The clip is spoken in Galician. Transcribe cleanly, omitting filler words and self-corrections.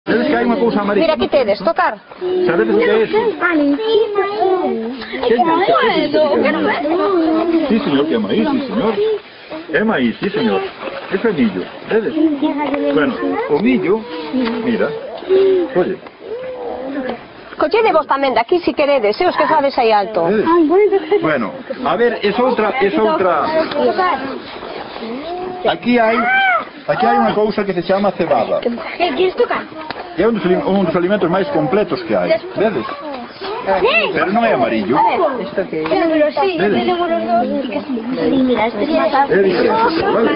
Vedes que hai unha cousa amarilla? Mira, aquí tedes, tocar. Sabedes o que é eso? Sí, señor, que é maíz, sí, señor. É maíz, sí, señor. Eso é millo, vedes? Bueno, o millo, mira, oye. Collede vos tamén de aquí, si queredes, os que sabes aí alto. Vedes? Bueno, a ver, es outra. Aquí hai unha cousa que se chama cebada. ¿Quieres tocar? É un dos alimentos máis completos que hai, vedes? Pero non é amarillo. El número sí, el número 2. Mira, esto ya está. É diferente, vale?